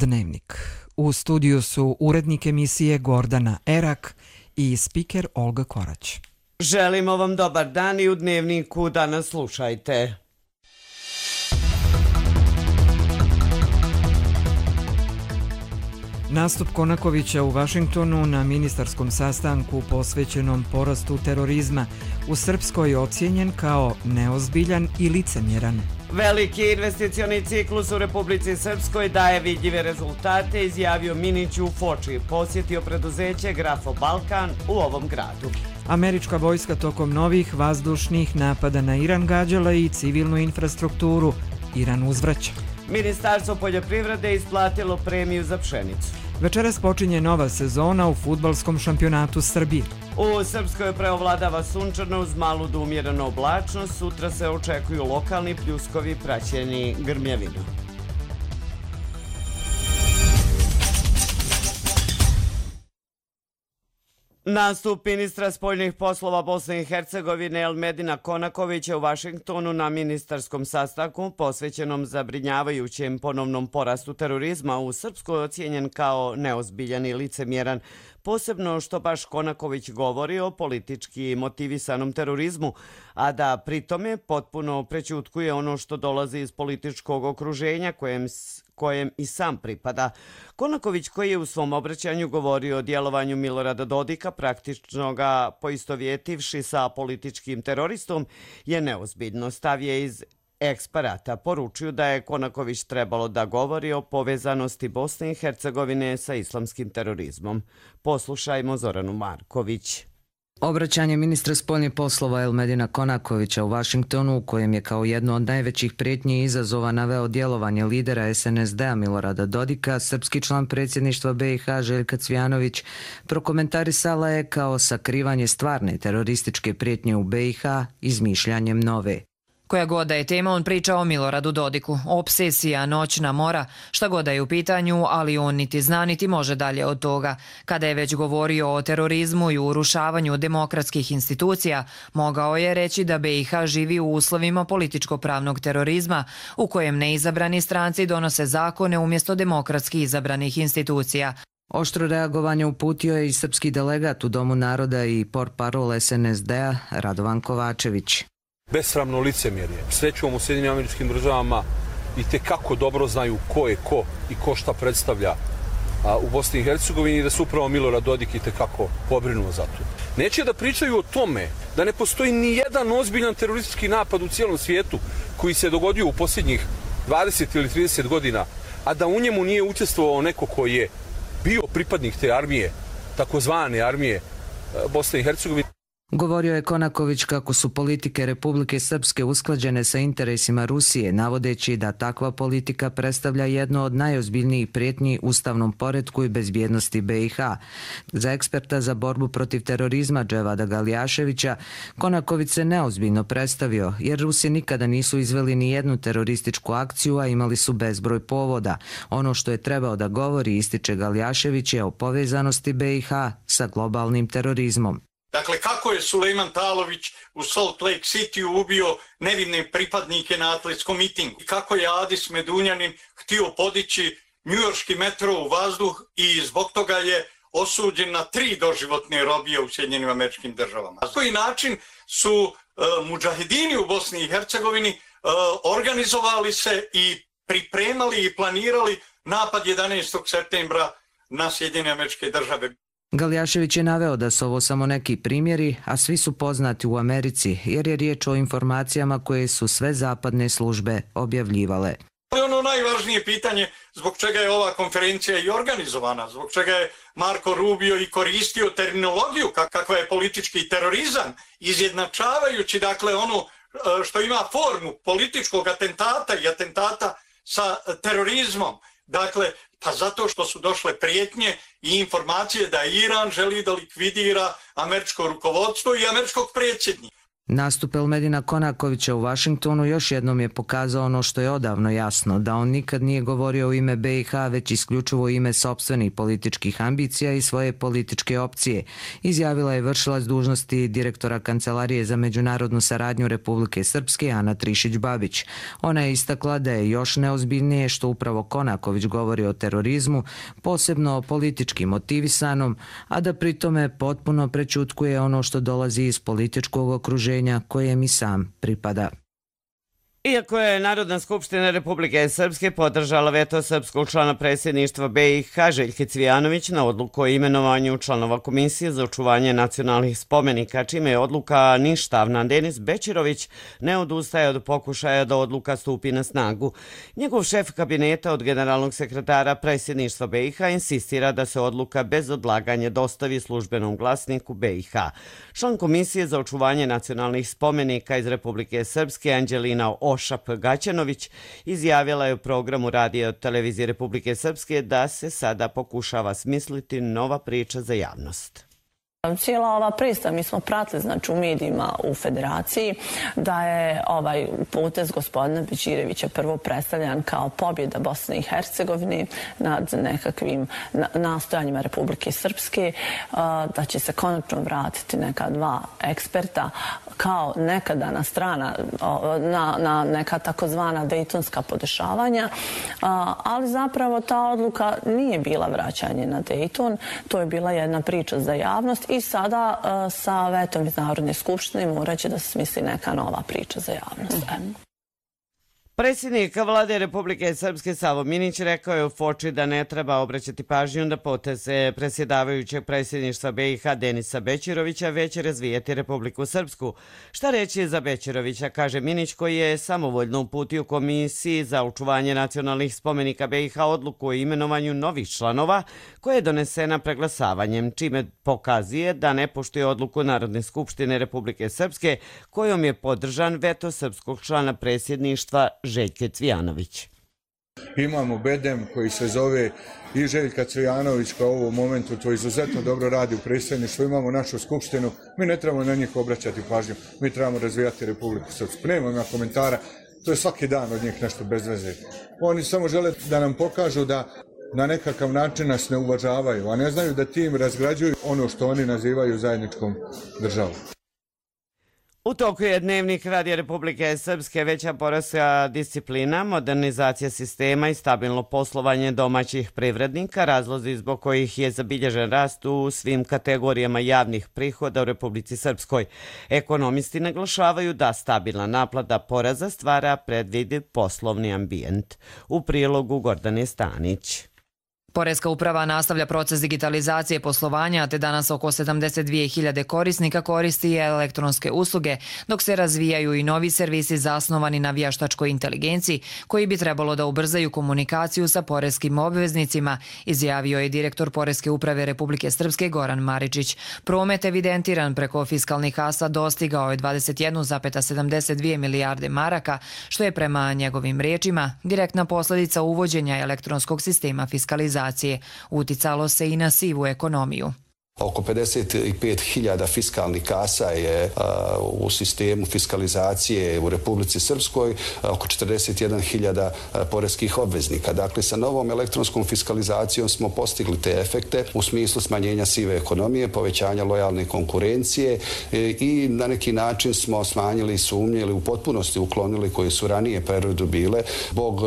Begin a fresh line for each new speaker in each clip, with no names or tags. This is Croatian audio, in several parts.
Dnevnik. U studiju su urednik emisije Gordana Erak i spiker Olga Korać.
Želimo vam dobar dan i u Dnevniku danas slušajte.
Nastup Konakovića u Vašingtonu na ministarskom sastanku posvećenom porastu terorizma u Srpskoj ocijenjen kao neozbiljan i licemjeran.
Veliki investicioni ciklus u Republici Srpskoj daje vidljive rezultate, izjavio Minić u Foči. Posjetio preduzeće Grafo Balkan u ovom gradu.
Američka vojska tokom novih vazdušnih napada na Iran gađala i civilnu infrastrukturu. Iran uzvraća.
Ministarstvo poljoprivrede isplatilo premiju za pšenicu.
Večeras počinje nova sezona u fudbalskom šampionatu Srbije.
U Srpskoj preovladava sunčano uz malu do umjerenu oblačnost. Sutra se očekuju lokalni pljuskovi praćeni grmljavinom. Nastup ministra spoljnih poslova Bosne i Hercegovine Elmedina Konakovića u Vašingtonu na ministarskom sastanku posvećenom zabrinjavajućem ponovnom porastu terorizma u Srpskoj ocijenjen kao neozbiljan i licemjeran, posebno što baš Konaković govori o politički motivisanom terorizmu, a da pritome potpuno prećutkuje ono što dolazi iz političkog okruženja kojem i sam pripada. Konaković, koji je u svom obraćanju govorio o djelovanju Milorada Dodika, praktično ga poistovjetivši sa političkim teroristom, je neozbiljno. Stav je iz Eksparata poručio da je Konaković trebalo da govori o povezanosti Bosne i Hercegovine sa islamskim terorizmom. Poslušajmo Zoranu Marković.
Obraćanje ministra spoljnih poslova Elmedina Konakovića u Vašingtonu, u kojem je kao jedno od najvećih prijetnji i izazova naveo djelovanje lidera SNSD-a Milorada Dodika, srpski član predsjedništva BiH Željka Cvijanović prokomentarisala je kao sakrivanje stvarne terorističke prijetnje u BiH izmišljanjem nove.
Koja god da je tema, on priča o Miloradu Dodiku. Obsesija, noćna mora, šta god da je u pitanju, ali on niti zna niti može dalje od toga. Kada je već govorio o terorizmu i urušavanju demokratskih institucija, mogao je reći da BiH živi u uslovima političko-pravnog terorizma, u kojem neizabrani stranci donose zakone umjesto demokratski izabranih institucija.
Oštro reagovanje uputio je i srpski delegat u Domu naroda i portparol SNSD-a Radovan Kovačević.
Besramno licemjerje. Srećom u Sjedinjenim Američkim Državama i tekako dobro znaju ko je ko i ko šta predstavlja u Bosni i Hercegovini i da su upravo Milorad Dodik i tekako pobrinuo za to. Neće da pričaju o tome da ne postoji ni jedan ozbiljan teroristički napad u cijelom svijetu koji se dogodio u posljednjih 20 ili 30 godina, a da u njemu nije učestvovao neko koji je bio pripadnik te armije, takozvane armije Bosne i Hercegovine.
Govorio je Konaković kako su politike Republike Srpske usklađene sa interesima Rusije, navodeći da takva politika predstavlja jedno od najozbiljnijih prijetnji ustavnom poretku i bezbjednosti BiH. Za eksperta za borbu protiv terorizma Dževada Galjaševića, Konaković se neozbiljno predstavio, jer Rusi nikada nisu izveli ni jednu terorističku akciju, a imali su bezbroj povoda. Ono što je trebao da govori, ističe Galjašević, je o povezanosti BiH sa globalnim terorizmom.
Dakle, kako je Sulejman Talović u Salt Lake City ubio nevine pripadnike na atletskom mitingu. I kako je Adis Medunjanin htio podići njujorški metro u vazduh i zbog toga je osuđen na 3 doživotne robije u Sjedinjenim Američkim Državama. Na koji način su mudžahedini u Bosni i Hercegovini organizovali se i pripremali i planirali napad 11. septembra na Sjedinjene Američke Države.
Galjašević je naveo da su ovo samo neki primjeri, a svi su poznati u Americi, jer je riječ o informacijama koje su sve zapadne službe objavljivale.
Ono najvažnije pitanje zbog čega je ova konferencija i organizovana, zbog čega je Marko Rubio i koristio terminologiju kakva je politički terorizam, izjednačavajući dakle ono što ima formu političkog atentata i atentata sa terorizmom. Dakle, pa zato što su došle prijetnje i informacije da Iran želi da likvidira američko rukovodstvo i američkog predsjednika.
Nastup Elmedina Konakovića u Vašingtonu još jednom je pokazao ono što je odavno jasno, da on nikad nije govorio u ime BiH, već isključivo u ime sopstvenih političkih ambicija i svoje političke opcije, izjavila je vršilac dužnosti direktora Kancelarije za međunarodnu saradnju Republike Srpske Ana Trišić-Babić. Ona je istakla da je još neozbiljnije što upravo Konaković govori o terorizmu, posebno o politički motivisanom, a da pritome potpuno prećutkuje ono što dolazi iz političkog okruženja kojem i sam pripada.
Iako je Narodna skupština Republike Srpske podržala veto srpskog člana predsjedništva BiH Željke Cvijanović na odluku o imenovanju članova Komisije za očuvanje nacionalnih spomenika, čime je odluka ništavna, Denis Bećirović ne odustaje od pokušaja da odluka stupi na snagu. Njegov šef kabineta od generalnog sekretara predsjedništva BiH insistira da se odluka bez odlaganja dostavi službenom glasniku BiH. Član Komisije za očuvanje nacionalnih spomenika iz Republike Srpske Anđelina Ošap Gaćanović izjavila je u programu Radio televizije Republike Srpske da se sada pokušava smisliti nova priča za javnost.
Cijela ova predstava, mi smo pratili znači, u medijima u Federaciji da je ovaj potez gospodina Bećirevića prvo predstavljan kao pobjeda Bosne i Hercegovine nad nekakvim nastojanjima Republike Srpske, da će se konačno vratiti neka dva eksperta kao nekadana strana na neka takozvana dejtonska podešavanja, ali zapravo ta odluka nije bila vraćanje na Dejton, to je bila jedna priča za javnost. I sada sa vetom iz Narodne skupštine morat će da se smisli neka nova priča za javnost.
Predsjednik vlade Republike Srpske Savo Minić rekao je u Foči da ne treba obraćati pažnju na poteze predsjedavajućeg predsjedništva BiH Denisa Bećirovića, već razvijeti Republiku Srpsku. Šta reći za Bećirovića, kaže Minić, koji je samovoljno uputio Komisiji za očuvanje nacionalnih spomenika BiH odluku o imenovanju novih članova, koja je donesena preglasavanjem, čime pokazuje da ne poštuje odluku Narodne skupštine Republike Srpske, kojom je podržan veto srpskog člana predsjedništva Željke Cvijanović.
Imamo bedem koji se zove i Željka Cvijanović koja u ovom momentu to izuzetno dobro radi u predsjedništvu. Imamo našu skupštinu, mi ne trebamo na njih obraćati pažnju, mi trebamo razvijati Republiku Srpsku. Nemam komentara, to je svaki dan od njih nešto bez veze. Oni samo žele da nam pokažu da na nekakav način nas ne uvažavaju, a ne znaju da tim razgrađuju ono što oni nazivaju zajedničkom državom.
U toku je Dnevnik Radija Republike Srpske veća poreska disciplina, modernizacija sistema i stabilno poslovanje domaćih privrednika, razlozi zbog kojih je zabilježen rast u svim kategorijama javnih prihoda u Republici Srpskoj. Ekonomisti naglašavaju da stabilna naplata poreza stvara predvidiv poslovni ambijent. U prilogu Gordane Stanić.
Poreska uprava nastavlja proces digitalizacije poslovanja, te danas oko 72.000 korisnika koristi elektronske usluge, dok se razvijaju i novi servisi zasnovani na vještačkoj inteligenciji, koji bi trebalo da ubrzaju komunikaciju sa poreskim obveznicima, izjavio je direktor Poreske uprave Republike Srpske Goran Maričić. Promet evidentiran preko fiskalnih kasa dostigao je 21,72 milijarde maraka, što je prema njegovim riječima direktna posljedica uvođenja elektronskog sistema fiskalizacije. Uticalo se i na sivu ekonomiju.
Oko 55.000 fiskalnih kasa je u sistemu fiskalizacije u Republici Srpskoj, oko 41.000 poreskih obveznika. Dakle, sa novom elektronskom fiskalizacijom smo postigli te efekte u smislu smanjenja sive ekonomije, povećanja lojalne konkurencije i na neki način smo smanjili sumnje ili u potpunosti uklonili koje su ranije periodu bile zbog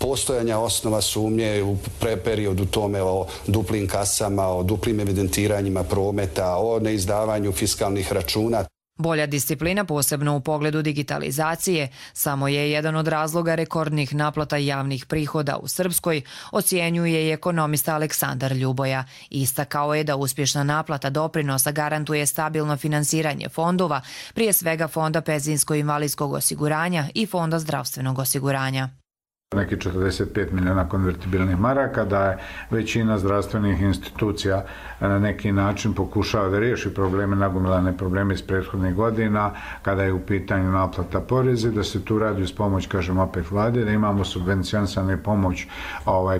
postojanja osnova sumnje u periodu tome o duplim kasama, o duplim evidentiranjima prometa, o neizdavanju fiskalnih računa.
Bolja disciplina, posebno u pogledu digitalizacije, samo je jedan od razloga rekordnih naplata javnih prihoda u Srpskoj, ocjenjuje i ekonomista Aleksandar Ljuboja. Istakao je da uspješna naplata doprinosa garantuje stabilno finansiranje fondova, prije svega Fonda penzijsko-invalidskog osiguranja i Fonda zdravstvenog osiguranja.
Neki 45 miliona konvertibilnih maraka, da je većina zdravstvenih institucija na neki način pokušava da riješi probleme, nagomilane probleme iz prethodnih godina, kada je u pitanju naplata poreza, da se tu radi uz pomoć, kažem opet vlade, da imamo subvencionisane pomoć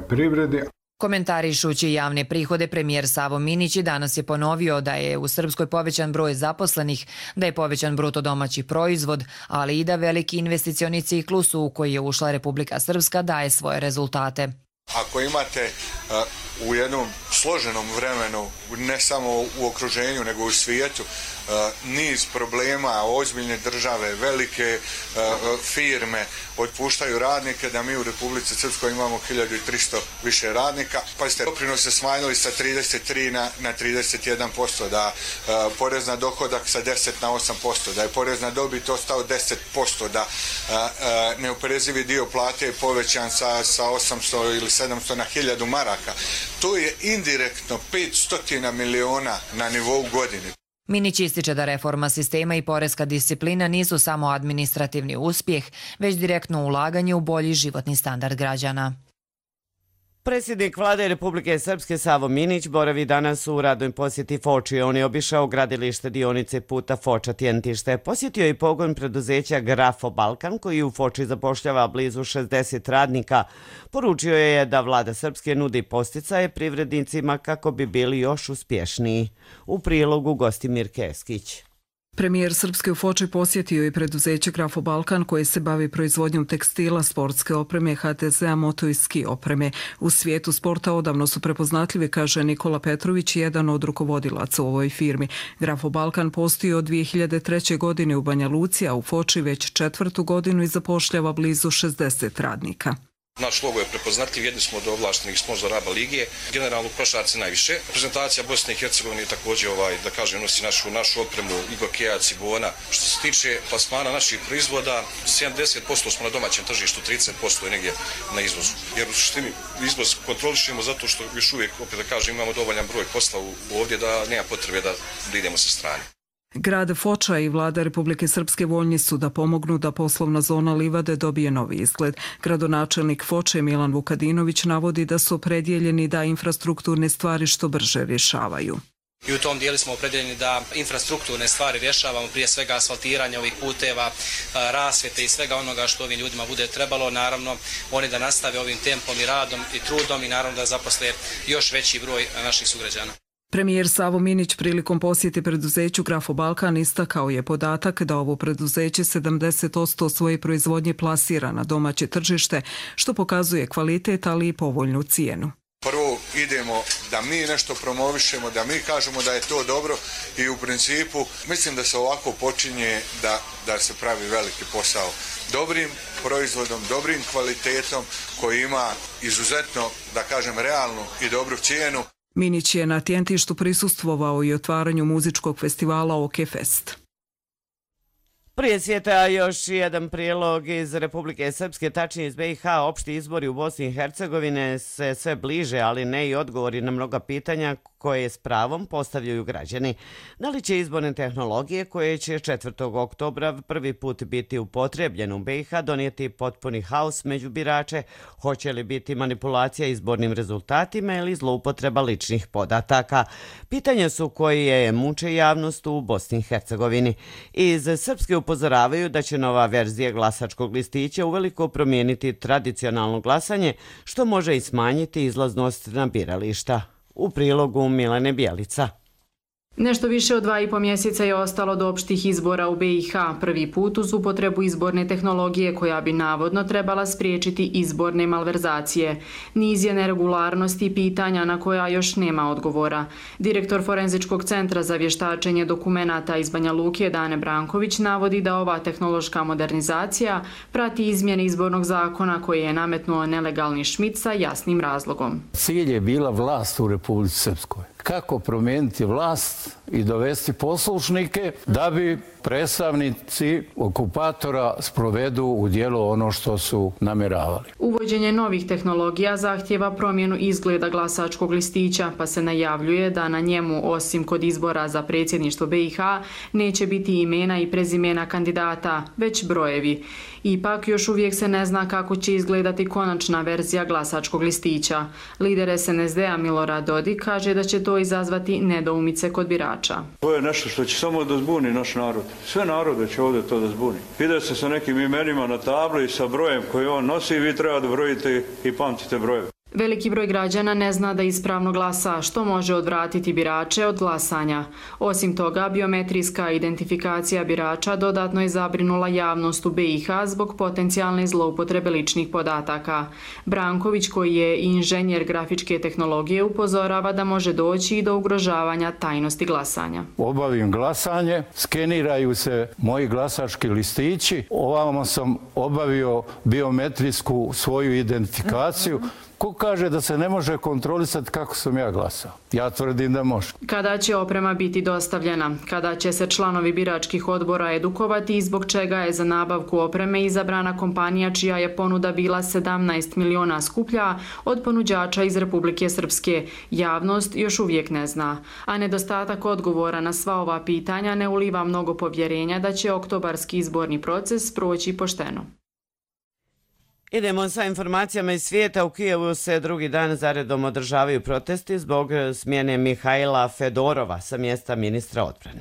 privredi.
Komentarišući javne prihode, premijer Savo Minić danas je ponovio da je u Srpskoj povećan broj zaposlenih, da je povećan bruto domaći proizvod, ali i da veliki investicioni ciklus u koji je ušla Republika Srpska daje svoje rezultate.
Ako imate u jednom složenom vremenu, ne samo u okruženju, nego u svijetu, niz problema, ozbiljne države, velike firme otpuštaju radnike, da mi u Republici Srpskoj imamo 1300 više radnika. Pazite, doprinose se smanjili sa 33 na 31%, da porez na dohodak sa 10 na 8%, da je porez na dobit ostao 10%, da neoporezivi dio plate je povećan sa 800 ili 700 na 1000 maraka. To je indirektno 500 miliona na nivou godine.
Minić ističe da reforma sistema i poreska disciplina nisu samo administrativni uspjeh, već direktno ulaganje u bolji životni standard građana.
Predsjednik Vlade Republike Srpske Savo Minić boravi danas u radnoj posjeti Foči. On je obišao gradilište dionice puta Foča-Tjentište. Posjetio je i pogon preduzeća Grafo Balkan, koji u Foči zapošljava blizu 60 radnika. Poručio je da Vlada Srpske nudi podsticaje privrednicima kako bi bili još uspješniji. U prilogu Gostimir Keskić.
Premijer Srpske u Foči posjetio je preduzeće Grafo Balkan koje se bavi proizvodnjom tekstila, sportske opreme, HTZ-a, moto i ski opreme. U svijetu sporta odavno su prepoznatljivi, kaže Nikola Petrović, jedan od rukovodilaca u ovoj firmi. Grafo Balkan postoji od 2003. godine u Banja Luci, a u Foči već 4. godinu i zapošljava blizu 60 radnika.
Naš logo je prepoznatljiv, jedni smo od ovlaštenih sponzora ABA lige, generalno u košarci najviše. Reprezentacija Bosne i Hercegovine također da kažem nosi našu opremu Igor Kejac i Bona. Što se tiče plasmana naših proizvoda, 70% smo na domaćem tržištu, 30% je negdje na izvozu. Jer u suštini izvoz kontrolišemo zato što još uvijek, opet da kažem, imamo dovoljan broj posla ovdje da nema potrebe da idemo sa strane.
Grad Foča i Vlada Republike Srpske voljni su da pomognu da poslovna zona Livade dobije novi izgled. Gradonačelnik Foče Milan Vukadinović navodi da su opredjeljeni da infrastrukturne stvari što brže rješavaju.
I u tom dijelu smo opredjeljeni da infrastrukturne stvari rješavamo, prije svega asfaltiranje ovih puteva, rasvjete i svega onoga što ovim ljudima bude trebalo. Naravno, oni da nastave ovim tempom i radom i trudom i naravno da zaposle još veći broj naših sugrađana.
Premijer Savo Minić prilikom posjete preduzeću Grafo Balkan istakao je podatak da ovo preduzeće 70% svoje proizvodnje plasira na domaće tržište, što pokazuje kvalitet, ali i povoljnu cijenu.
Prvo idemo da mi nešto promovišemo, da mi kažemo da je to dobro i u principu mislim da se ovako počinje da se pravi veliki posao. Dobrim proizvodom, dobrim kvalitetom koji ima izuzetno, da kažem, realnu i dobru cijenu.
Minić je na Tjentištu prisustvovao i otvaranju muzičkog festivala OK Fest.
Prije svijeta još jedan prilog iz Republike Srpske, tačnije iz BiH. Opšti izbori u Bosni i Hercegovine se sve bliže, ali ne i odgovori na mnoga pitanja koje s pravom postavljaju građani. Da li će izborne tehnologije koje će 4. oktobra prvi put biti upotrebljene u BiH donijeti potpuni haos među birače? Hoće li biti manipulacija izbornim rezultatima ili zloupotreba ličnih podataka? Pitanja su koje muče javnost u Bosni i Hercegovini. Iz Srpske upozoravaju da će nova verzija glasačkog listića uveliko promijeniti tradicionalno glasanje, što može i smanjiti izlaznost na birališta. U prilogu Milane Bjelica.
Nešto više od 2,5 mjeseca je ostalo do opštih izbora u BiH, prvi put uz upotrebu izborne tehnologije koja bi navodno trebala spriječiti izborne malverzacije. Niz je neregularnosti i pitanja na koja još nema odgovora. Direktor Forenzičkog centra za vještačenje dokumenata iz Banja Luke Dane Branković navodi da ova tehnološka modernizacija prati izmjene izbornog zakona koje je nametnuo nelegalni Šmit sa jasnim razlogom.
Cilj je bila vlast u Republici Srpskoj. Kako promijeniti vlast i dovesti poslušnike da bi predstavnici okupatora sprovedu u djelo ono što su namjeravali.
Uvođenje novih tehnologija zahtjeva promjenu izgleda glasačkog listića, pa se najavljuje da na njemu, osim kod izbora za predsjedništvo BiH, neće biti imena i prezimena kandidata, već brojevi. Ipak, još uvijek se ne zna kako će izgledati konačna verzija glasačkog listića. Lider SNSD-a Milorad Dodik kaže da će to izazvati nedoumice kod birača.
To je nešto što će samo da zbuni naš narod. Sve narode će ovdje to da zbuni. Ide se sa nekim imenima na tabli i sa brojem koji on nosi i vi treba da brojite i pamtite brojeve.
Veliki broj građana ne zna da ispravno glasa, što može odvratiti birače od glasanja. Osim toga, biometrijska identifikacija birača dodatno je zabrinula javnost u BiH zbog potencijalne zloupotrebe ličnih podataka. Branković, koji je inženjer grafičke tehnologije, upozorava da može doći i do ugrožavanja tajnosti glasanja.
Obavim glasanje, skeniraju se moji glasački listići, ovamo sam obavio biometrijsku svoju identifikaciju. Ko kaže da se ne može kontrolisati kako sam ja glasao? Ja tvrdim da može.
Kada će oprema biti dostavljena? Kada će se članovi biračkih odbora edukovati i zbog čega je za nabavku opreme izabrana kompanija čija je ponuda bila 17 miliona skuplja od ponuđača iz Republike Srpske? Javnost još uvijek ne zna. A nedostatak odgovora na sva ova pitanja ne uliva mnogo povjerenja da će oktobarski izborni proces proći pošteno.
Idemo sa informacijama iz svijeta. U Kijevu se drugi dan zaredom održavaju protesti zbog smjene Mihajla Fedorova sa mjesta ministra odbrane.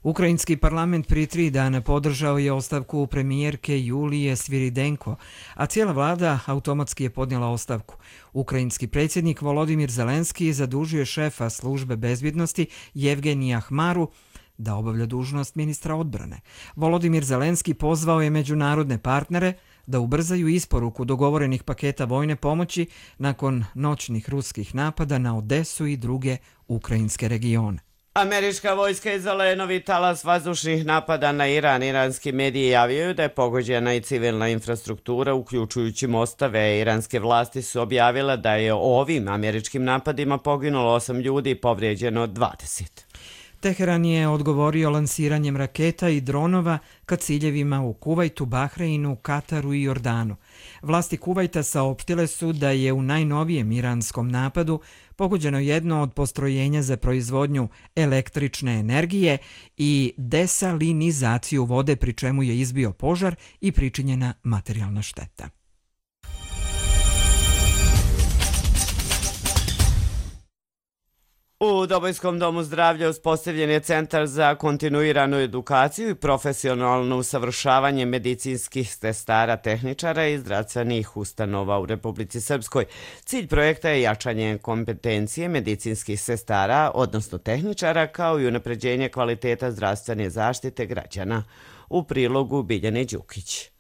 Ukrajinski parlament prije 3 dana podržao je ostavku premijerke Julije Sviridenko, a cijela vlada automatski je podnijela ostavku. Ukrajinski predsjednik Volodimir Zelenski zadužio je šefa službe bezbjednosti Jevgenija Hmaru da obavlja dužnost ministra odbrane. Volodimir Zelenski pozvao je međunarodne partnere da ubrzaju isporuku dogovorenih paketa vojne pomoći nakon noćnih ruskih napada na Odesu i druge ukrajinske regione.
Američka vojska je izvela novi talas vazdušnih napada na Iran. Iranski mediji javljaju da je pogođena i civilna infrastruktura, uključujući mostove. Iranske vlasti su objavile da je ovim američkim napadima poginulo 8 ljudi i povrijeđeno 20.
Teheran je odgovorio lansiranjem raketa i dronova ka ciljevima u Kuvajtu, Bahreinu, Kataru i Jordanu. Vlasti Kuvajta saopštile su da je u najnovijem iranskom napadu pogođeno jedno od postrojenja za proizvodnju električne energije i desalinizaciju vode, pri čemu je izbio požar i pričinjena materijalna šteta.
U Dobojskom domu zdravlja uspostavljen je centar za kontinuiranu edukaciju i profesionalno usavršavanje medicinskih sestara, tehničara i zdravstvenih ustanova u Republici Srpskoj. Cilj projekta je jačanje kompetencije medicinskih sestara, odnosno tehničara, kao i unapređenje kvaliteta zdravstvene zaštite građana. U prilogu Biljane Đukić.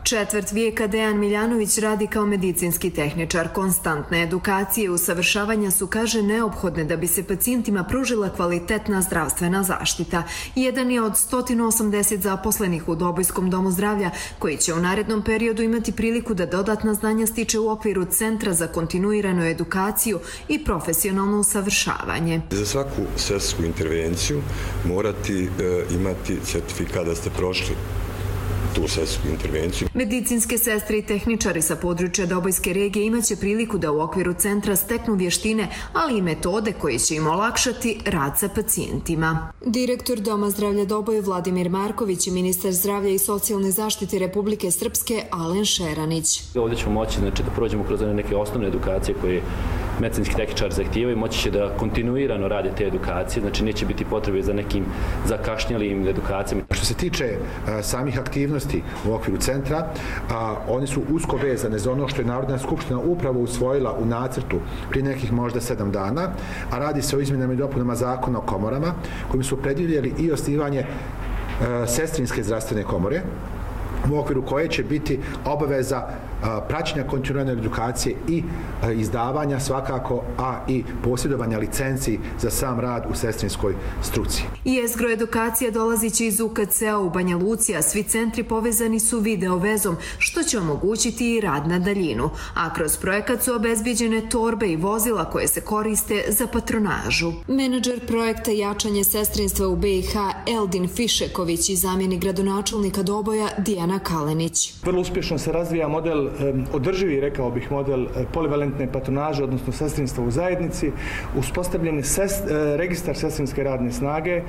Četvrt vijeka Dejan Miljanović radi kao medicinski tehničar. Konstantne edukacije i usavršavanja su, kaže, neophodne da bi se pacijentima pružila kvalitetna zdravstvena zaštita. Jedan je od 180 zaposlenih u Dobojskom domu zdravlja, koji će u narednom periodu imati priliku da dodatna znanja stiče u okviru Centra za kontinuiranu edukaciju i profesionalno usavršavanje.
Za svaku sestrsku intervenciju morati imati certifikat da ste prošli tu sestrsku intervenciju.
Medicinske sestre i tehničari sa područja Dobojske regije imaće priliku da u okviru centra steknu vještine, ali i metode koje će im olakšati rad sa pacijentima. Direktor Doma zdravlja Doboj Vladimir Marković i ministar zdravlja i socijalne zaštite Republike Srpske Alen Šeranić.
Ovdje ćemo moći da prođemo kroz neke osnovne edukacije koje medicinski tehničar zahtijevaju, moći će da kontinuirano rade te edukacije, znači neće biti potrebe za nekim zakašnjelim edukacijama.
Što se tiče samih aktivnosti u okviru centra, oni su usko vezane za ono što je Narodna skupština upravo usvojila u nacrtu prije nekih možda 7 dana, a radi se o izmjenama i dopunama zakona o komorama, kojim su predvidjeli i osnivanje sestrinske zdravstvene komore, u okviru koje će biti obaveza praćenja kontinuirane edukacije i izdavanja svakako, a i posjedovanja licenci za sam rad u sestrinskoj struci.
Jezgro edukacija dolaziće iz UKC-a u Banja Luci, a svi centri povezani su video vezom, što će omogućiti i rad na daljinu. A kroz projekat su obezbijeđene torbe i vozila koje se koriste za patronažu. Menadžer projekta Jačanje sestrinstva u BiH Eldin Fišeković i zamjenik gradonačelnika Doboja Dijana Kalenić.
Vrlo uspješno se razvija model održivi, rekao bih, model polivalentne patronaže, odnosno sestrinstva u zajednici. Uspostavljen je registar sestrinske radne snage.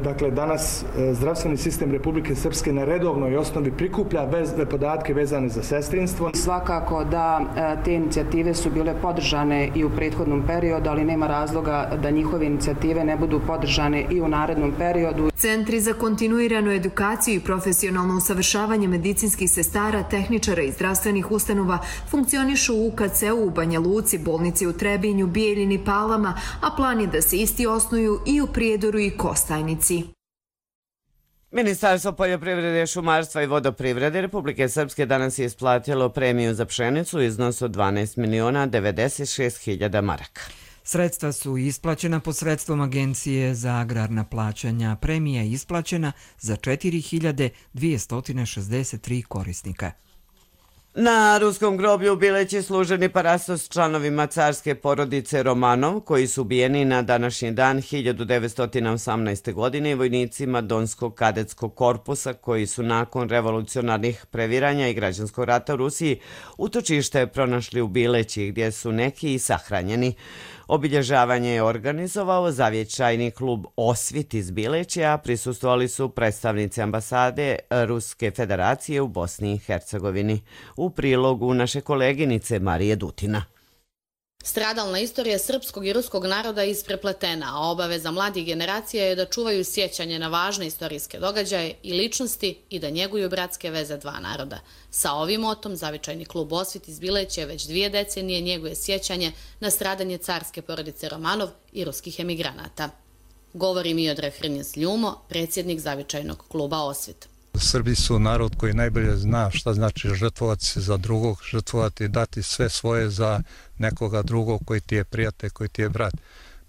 Dakle, danas zdravstveni sistem Republike Srpske na redovnoj osnovi prikuplja podatke vezane za sestrinstvo.
Svakako da te inicijative su bile podržane i u prethodnom periodu, ali nema razloga da njihove inicijative ne budu podržane i u narednom periodu.
Centri za kontinuiranu edukaciju i profesionalno usavršavanje medicinskih sestara, tehničara i zdravstvenih zdravstvenih ustanova funkcionišu u UKC-u u Banja Luci, bolnici u Trebinju, Bijeljini, Palama, a plan je da se isti osnuju i u Prijedoru i Kostajnici.
Ministarstvo poljoprivrede, šumarstva i vodoprivrede Republike Srpske danas je isplatilo premiju za pšenicu u iznosu od 12.096.000 maraka.
Sredstva su isplaćena posredstvom Agencije za agrarna plaćanja. Premija je isplaćena za 4.263 korisnika.
Na ruskom groblju u Bileći služen je parastos članovima carske porodice Romanov, koji su ubijeni na današnji dan 1918. godine i vojnicima Donskog kadetskog korpusa, koji su nakon revolucionarnih previranja i građanskog rata u Rusiji utočište pronašli u Bileći, gdje su neki i sahranjeni. Obilježavanje je organizovao Zavječajni klub Osvit iz Bileća, a prisustvovali su predstavnici ambasade Ruske federacije u Bosni i Hercegovini. U prilogu naše koleginice Marije Dutina.
Stradalna istorija srpskog i ruskog naroda je isprepletena, a obaveza mladih generacija je da čuvaju sjećanje na važne istorijske događaje i ličnosti i da njeguju bratske veze dva naroda. Sa ovim motom Zavičajni klub Osvit iz Bileća već 2 decenije njeguje sjećanje na stradanje carske porodice Romanov i ruskih emigranata. Govori Miodrag Hrnjes Ljumo, predsjednik Zavičajnog kluba Osvit.
Srbi su narod koji najbolje zna šta znači žrtvovati se za drugog, žrtvovati i dati sve svoje za nekoga drugog koji ti je prijatelj, koji ti je brat.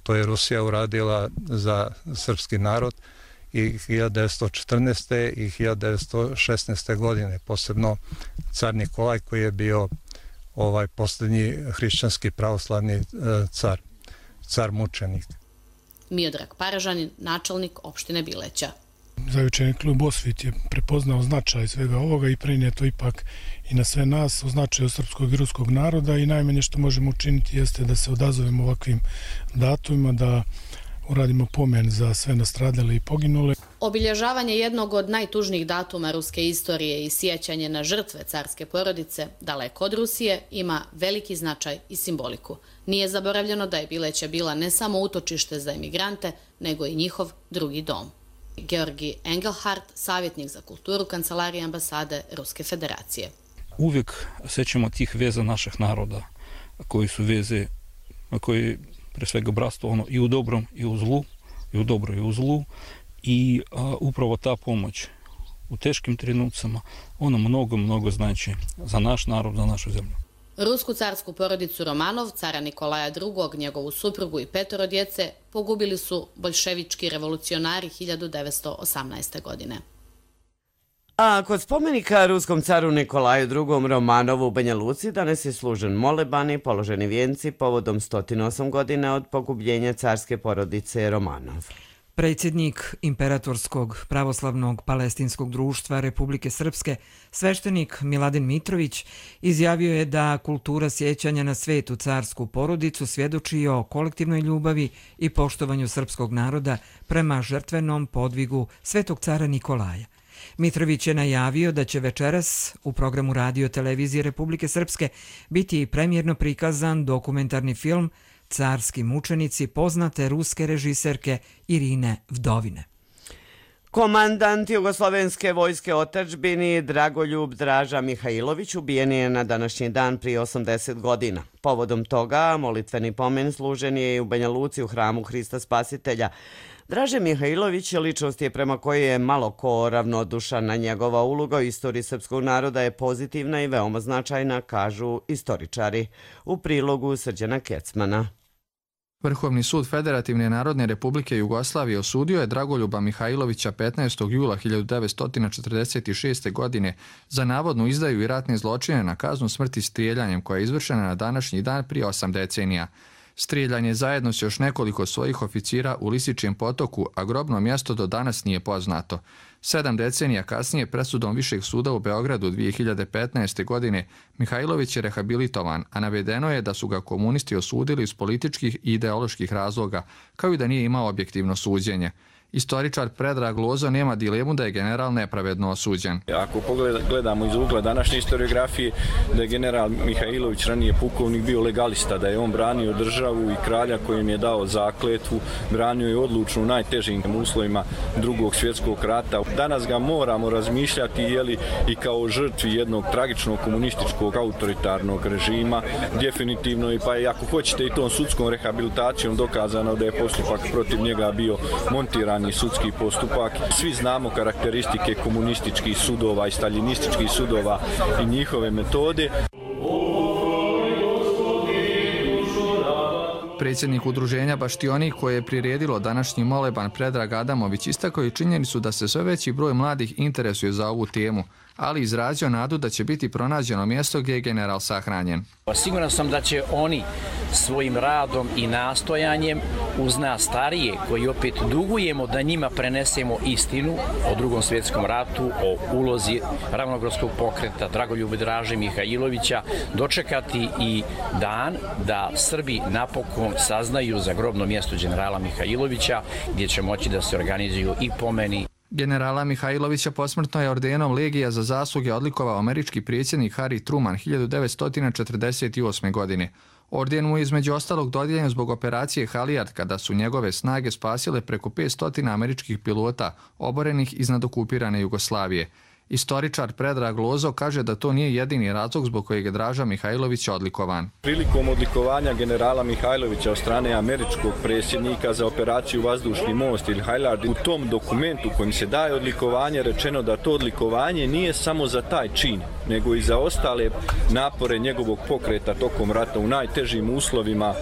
To je Rusija uradila za srpski narod i 1914. i 1916. godine, posebno car Nikolaj koji je bio posljednji hrišćanski pravoslavni car mučenik.
Miodrag Paražanin, načelnik opštine Bileća.
Zavičajni klub Osvit je prepoznao značaj svega ovoga i prenije to ipak i na sve nas o značaju srpskog i ruskog naroda i najmanje što možemo učiniti jeste da se odazovemo ovakvim datumima, da uradimo pomen za sve nastradale i poginule.
Obilježavanje jednog od najtužnijih datuma ruske istorije i sjećanje na žrtve carske porodice, daleko od Rusije, ima veliki značaj i simboliku. Nije zaboravljeno da je Bileća bila ne samo utočište za emigrante, nego i njihov drugi dom. Georgi Engelhardt, savjetnik za kulturu Kancelarije ambasade Ruske federacije.
Uvijek sećamo tih veza naših naroda, koji su veze, koji pre svega bratstvo i u dobrom i u zlu, i u dobro i u zlu, i upravo ta pomoć u teškim trenucima, ona mnogo znači za naš narod, za našu zemlju.
Rusku carsku porodicu Romanov, cara Nikolaja II, njegovu suprugu i 5 djece pogubili su boljševički revolucionari 1918. godine.
A kod spomenika ruskom caru Nikolaju II Romanovu u Banja Luci danas je služen moleban i položeni vijenci povodom 108 godina od pogubljenja carske porodice Romanov.
Predsjednik Imperatorskog pravoslavnog palestinskog društva Republike Srpske, sveštenik Miladin Mitrović, izjavio je da kultura sjećanja na svetu carsku porodicu svjedoči o kolektivnoj ljubavi i poštovanju srpskog naroda prema žrtvenom podvigu svetog cara Nikolaja. Mitrović je najavio da će večeras u programu Radio televizije Republike Srpske biti premijerno prikazan dokumentarni film Carski mučenici poznate ruske režiserke Irine Vdovine.
Komandant Jugoslovenske vojske otadžbini Dragoljub Draža Mihajlović ubijen je na današnji dan prije 80 godina. Povodom toga molitveni pomen služen je i u Banja Luci u hramu Hrista Spasitelja. Draže Mihajlović ličnost je prema kojoj je malo ko ravnodušan, na njegova uloga u istoriji srpskog naroda je pozitivna i veoma značajna, kažu istoričari. U prilogu Srđana Kecmana.
Vrhovni sud Federativne narodne republike Jugoslavije osudio je Dragoljuba Mihajlovića 15. jula 1946. godine za navodnu izdaju i ratne zločine na kaznu smrti strijeljanjem koja je izvršena na današnji dan prije 8 decenija. Strijeljan je zajedno s još nekoliko svojih oficira u Lisičijem potoku, a grobno mjesto do danas nije poznato. 7 decenija kasnije presudom Višeg suda u Beogradu 2015. godine Mihajlović je rehabilitovan, a navedeno je da su ga komunisti osudili iz političkih i ideoloških razloga, kao i da nije imao objektivno suđenje. Istoričar Predrag Lozo nema dilemu da je general nepravedno osuđen.
Ako gledamo iz ugla današnje historiografije, da je general Mihajlović, ranije pukovnik, bio legalista, da je on branio državu i kralja kojem je dao zakletvu, branio je odlučno u najtežim uslovima Drugog svjetskog rata. danas ga moramo razmišljati i kao žrtvi jednog tragičnog komunističkog autoritarnog režima, definitivno, pa i ako hoćete i tom sudskom rehabilitacijom dokazano da je postupak protiv njega bio montirani sudski postupak. Svi znamo karakteristike komunističkih sudova i staljinističkih sudova i njihove metode.
Predsjednik udruženja Baštionik koje je priredilo današnji moleban Predrag Adamović istakao i činjenicu da se sve veći broj mladih interesuje za ovu temu, ali izrazio nadu da će biti pronađeno mjesto gdje je general sahranjen.
Siguran sam da će oni svojim radom i nastojanjem uz nas starije, koji opet dugujemo da njima prenesemo istinu o Drugom svjetskom ratu, o ulozi ravnogradskog pokreta Dragoljuba Draže Mihajlovića, dočekati i dan da Srbi napokon saznaju za grobno mjesto generala Mihajlovića, gdje će moći da se organizuju i pomeni.
Generala Mihajlovića posmrtno je ordenom Legija za zasluge odlikovao američki predsjednik Harry Truman 1948. godine. Orden mu je između ostalog dodijeljen zbog operacije Halijard kada su njegove snage spasile preko 500 američkih pilota oborenih iznad okupirane Jugoslavije. Istoričar Predrag Lozo kaže da to nije jedini razlog zbog kojeg je Draža Mihajlović odlikovan.
Prilikom odlikovanja generala Mihajlovića od strane američkog predsjednika za operaciju Vazdušni most ili Halijard, u tom dokumentu kojim se daje odlikovanje rečeno da to odlikovanje nije samo za taj čin, nego i za ostale napore njegovog pokreta tokom rata u najtežim uslovima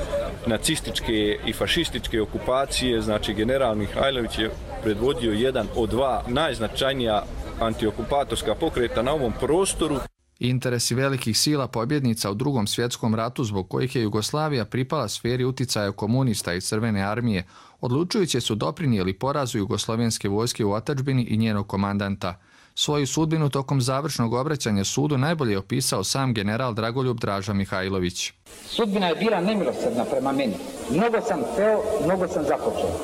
nacističke i fašističke okupacije. Znači, general Mihajlović je predvodio jedan od dva najznačajnija antiokupatorska pokreta na ovom prostoru.
Interesi velikih sila pobjednica u Drugom svjetskom ratu zbog kojih je Jugoslavija pripala sferi uticaja komunista i Crvene armije, odlučujuće su doprinijeli porazu jugoslovenske vojske u otadžbini i njenog komandanta. Svoju sudbinu tokom završnog obraćanja sudu najbolje je opisao sam general Dragoljub Draža Mihajlović.
Sudbina je bila nemilosrdna prema meni. Mnogo sam hteo, mnogo sam započeo.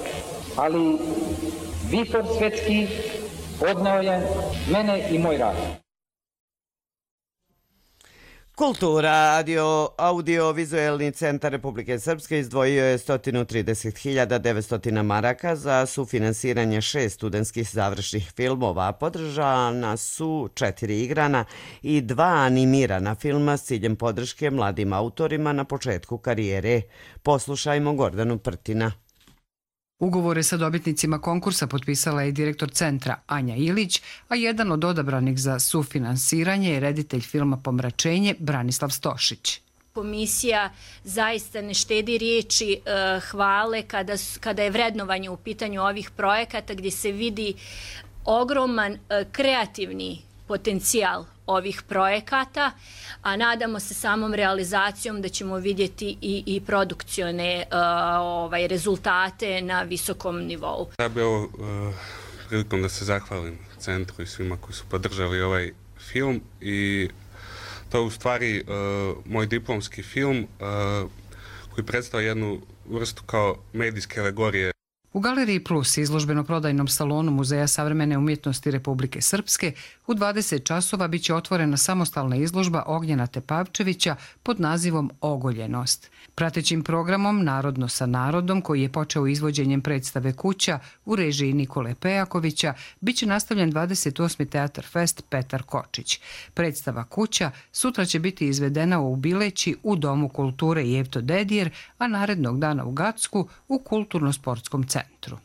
Ali Vitor Svetski odneo je mene i moj rad.
Kultura, audio-vizuelni centar Republike Srpske izdvojio je 130.900 maraka za sufinansiranje 6 studentskih završnih filmova. Podržana su 4 igrana i 2 animirana filma s ciljem podrške mladim autorima na početku karijere. Poslušajmo Gordanu Prtina.
Ugovore sa dobitnicima konkursa potpisala je direktor centra Anja Ilić, a jedan od odabranih za sufinansiranje je reditelj filma Pomračenje Branislav Stošić.
Komisija zaista ne štedi riječi hvale kada je vrednovanje u pitanju ovih projekata gdje se vidi ogroman kreativni potencijal ovih projekata, a nadamo se samom realizacijom da ćemo vidjeti i produkcione rezultate na visokom nivou.
Ja bih ovo prilikom da se zahvalim centru i svima koji su podržali ovaj film i to je u stvari moj diplomski film koji predstavlja jednu vrstu kao medijske alegorije.
U Galeriji Plus, izložbeno-prodajnom salonu Muzeja savremene umjetnosti Republike Srpske, u 20 časova biće otvorena samostalna izložba Ognjena Tepavčevića pod nazivom Ogoljenost. Pratećim programom Narodno sa narodom, koji je počeo izvođenjem predstave Kuća u režiji Nikole Pejakovića, biće nastavljen 28. Teatar Fest Petar Kočić. Predstava Kuća sutra će biti izvedena u Bileći u Domu kulture Jevto Dedijer, a narednog dana u Gacku u Kulturno-sportskom centru.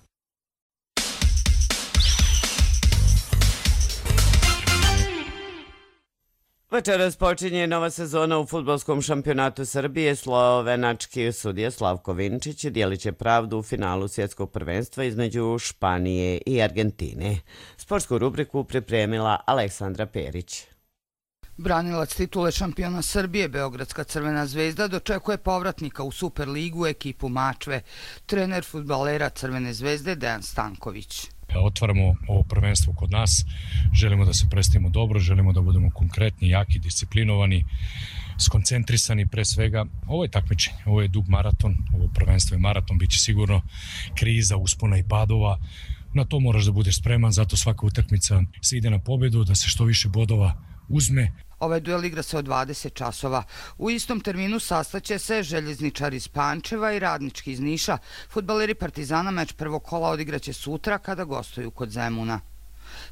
Večeras počinje nova sezona u fudbalskom šampionatu Srbije. Slovenački sudija Slavko Vinčić dijelit će pravdu u finalu svjetskog prvenstva između Španije i Argentine. Sportsku rubriku pripremila Aleksandra Perić.
Branilac titule šampiona Srbije, Beogradska Crvena zvezda, dočekuje povratnika u Superligu ekipu Mačve, trener fudbalera Crvene zvezde Dejan Stanković.
Otvaramo ovo prvenstvo kod nas, želimo da se predstavimo dobro, želimo da budemo konkretni, jaki, disciplinovani, skoncentrisani pre svega. Ovo je takmičenje, ovo je dug maraton, ovo prvenstvo je maraton, bit će sigurno kriza, uspona i padova. Na to moraš da budeš spreman, zato svaka utakmica se ide na pobedu, da se što više bodova uzme.
Ovaj duel igra se od 20 časova. U istom terminu sastaće se Željezničar iz Pančeva i Radnički iz Niša. Fudbaleri Partizana meč prvog kola odigraće sutra kada gostuju kod Zemuna.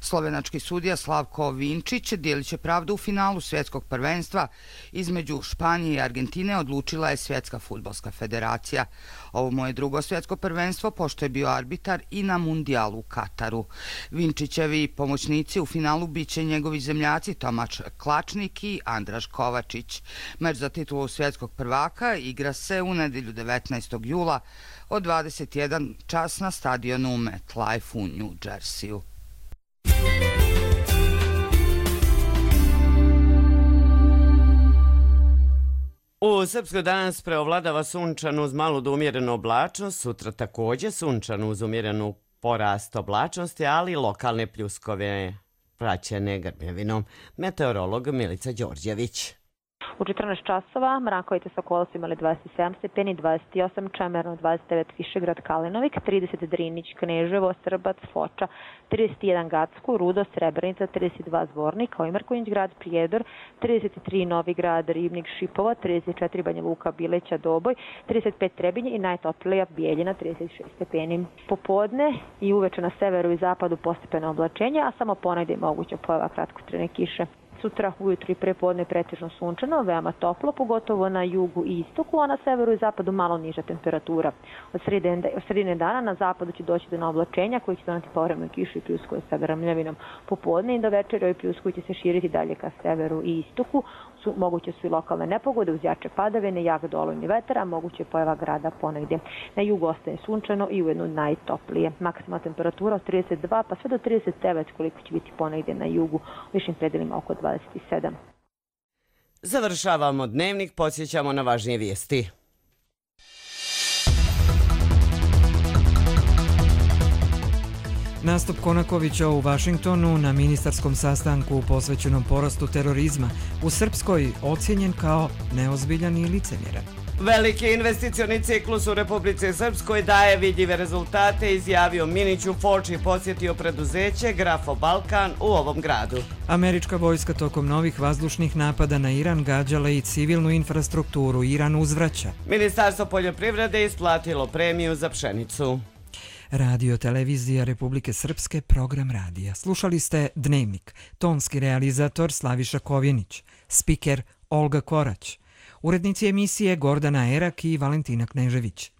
Slovenački sudija Slavko Vinčić dijelit će pravdu u finalu svjetskog prvenstva između Španije i Argentine, odlučila je Svjetska fudbalska federacija. Ovo mu je drugo svjetsko prvenstvo, pošto je bio arbitar i na mundijalu u Kataru. Vinčićevi pomoćnici u finalu biće njegovi zemljaci Tomaš Klačnik i Andraš Kovačić. Meč za titulu svjetskog prvaka igra se u nedjelju 19. jula od 21 čas na stadionu MetLife u New Jerseyu.
U Srpskoj danas preovladava sunčan uz malu do umjerenu oblačnost, sutra također sunčan uz umjerenu porast oblačnosti, ali lokalne pljuskove praćene grmljavinom. Meteorolog Milica Đorđević.
U 14 časova Mrakovica Sokolo su imali 27 stepeni, 28 Čemerno, 29 Višegrad Kalinovik, 30 Drinić, Kneževo, Srbac, Foča, 31 Gacko, Rudo, Srebrenica, 32 Zvornik, Ojmarković grad, Prijedor, 33 Novi grad, Ribnik, Šipovo, 34 Banja Luka, Bileća, Doboj, 35 Trebinje i najtoplija Bijeljina, 36 stepeni. Popodne i uveče na severu i zapadu postepeno oblačenje, a samo ponegdje je moguća pojava kratkotrajne kiše. Sutra ujutru i prepodne pretežno sunčano, veoma toplo, pogotovo na jugu i istoku, a na severu i zapadu malo niža temperatura. Od sredine dana na zapadu će doći do oblačenja koji će doneti povremenu kišu i pljuskove sa grmljavinom. Popodne i do večera ovi pljuskovi će se širiti dalje ka severu i istoku. Moguće su i lokalne nepogode uz jače padavine, jak dolojni vetar, a moguće je pojava grada ponegdje. Na jugu ostaje sunčano i ujedno najtoplije. Maksimalna temperatura od 32 pa sve do 39 koliko će biti ponegdje na jugu, u višim predelima oko 27.
Završavamo dnevnik, podsjećamo na važnije vijesti.
Nastup Konakovića u Vašingtonu na ministarskom sastanku posvećenom porastu terorizma u Srpskoj ocijenjen kao neozbiljan i licemjeran.
Veliki investicioni ciklus u Republici Srpskoj daje vidljive rezultate, izjavio Minić u Foči, posjetio preduzeće Grafo Balkan u ovom gradu.
Američka vojska tokom novih vazdušnih napada na Iran gađala i civilnu infrastrukturu. Iran uzvraća.
Ministarstvo poljoprivrede isplatilo premiju za pšenicu.
Radio Televizija Republike Srpske, program radija. Slušali ste Dnevnik, tonski realizator Slaviša Kovjenić, spiker Olga Korać, urednici emisije Gordana Erak i Valentina Knežević.